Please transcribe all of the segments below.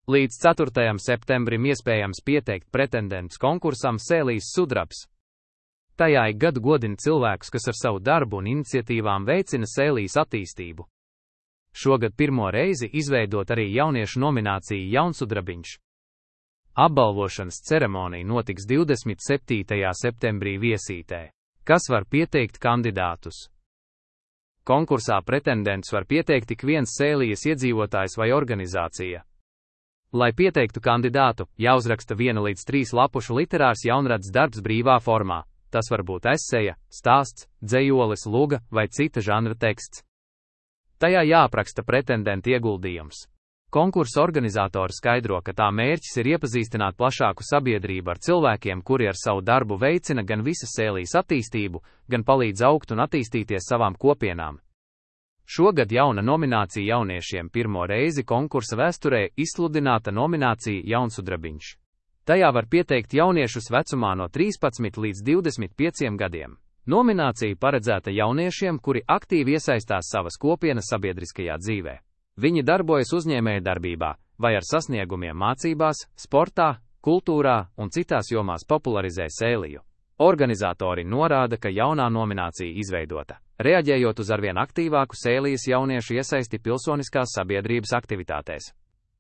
Līdz 4. septembrim iespējams pieteikt pretendents konkursam Sēlijas sudrabs. Tajā ik gadu godina cilvēkus, kas ar savu darbu un iniciatīvām veicina Sēlijas attīstību. Šogad pirmo reizi izveidot arī jauniešu nomināciju Jaunsudrabiņš. Apbalvošanas ceremonija notiks 27. septembrī Viesītē. Kas var pieteikt kandidātus? Konkursā pretendents var pieteikt tik viens Sēlijas iedzīvotājs vai organizācija. Lai pieteiktu kandidātu, jāuzraksta 1 līdz 3 lapušu literārs jaunrads darbs brīvā formā. Tas var būt eseja, stāsts, dzejolis, luga vai cita žanra teksts. Tajā jāapraksta pretendenta ieguldījums. Konkursa organizatori skaidro, ka tā mērķis ir iepazīstināt plašāku sabiedrību ar cilvēkiem, kuri ar savu darbu veicina gan visas Sēlijas attīstību, gan palīdz augt un attīstīties savām kopienām. Šogad jauna nominācija jauniešiem pirmo reizi konkursa vēsturē izsludināta nominācija Jaunsudrabiņš. Tajā var pieteikt jauniešus vecumā no 13 līdz 25 gadiem. Nominācija paredzēta jauniešiem, kuri aktīvi iesaistās savas kopienas sabiedriskajā dzīvē. Viņi darbojas uzņēmējdarbībā vai ar sasniegumiem mācībās, sportā, kultūrā un citās jomās popularizē Sēliju. Organizatori norāda, ka jaunā nominācija izveidota, reaģējot uz arvien aktīvāku Sēlijas jauniešu iesaisti pilsoniskās sabiedrības aktivitātēs.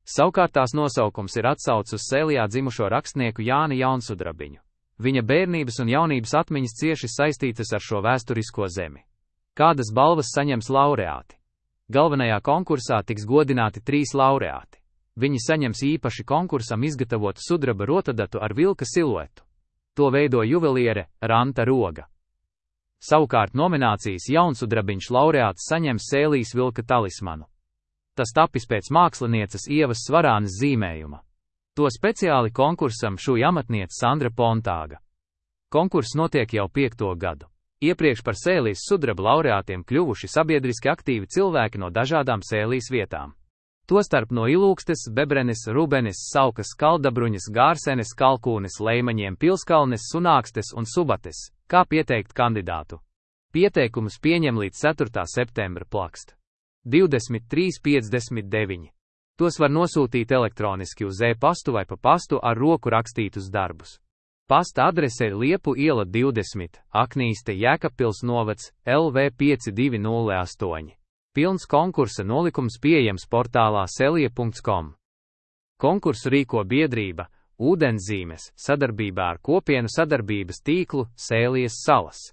Savukārt tās nosaukums ir atsauce uz Sēlijā dzimušo rakstnieku Jāni Jaunsudrabiņu. Viņa bērnības un jaunības atmiņas cieši saistītas ar šo vēsturisko zemi. Kādas balvas saņems laureāti? Galvenajā konkursā tiks godināti 3 laureāti. Viņi saņems īpaši konkursam izgatavotu sudraba rotadatu ar vilka siluetu. To veido juveliere Ranta Roga. Savukārt nominācijas Jaunsudrabiņš laureāts saņems Sēlijas vilka talismanu. Tas tapis pēc mākslinieces Ievas Svarānes zīmējuma. To speciāli konkursam šuja amatniece Sandra Pontāga. Konkurss notiek jau 5. gadu. Iepriekš par Sēlijas sudraba laureātiem kļuvuši sabiedriski aktīvi cilvēki no dažādām Sēlijas vietām. Tostarp no Ilūkstes, Bebrenes, Rubenes, Saukas, Kaldabruņas, Gārsenes, Kalkūnes, Leimaņiem, Pilskalnes, Sunākstes un Subates. Kā pieteikt kandidātu? Pieteikumus pieņem līdz 4. septembra plakst. 2359. Tos var nosūtīt elektroniski uz e-pastu vai pa pastu ar roku rakstītus darbus. Pasta adrese ir Liepu iela 20, Aknīste, Jēkabpils novads, LV 5208. Pilns konkursa nolikums pieejams portālā selija.com. Konkursu rīko biedrība Ūdenszīmes sadarbībā ar kopienu sadarbības tīklu Sēlijas salas.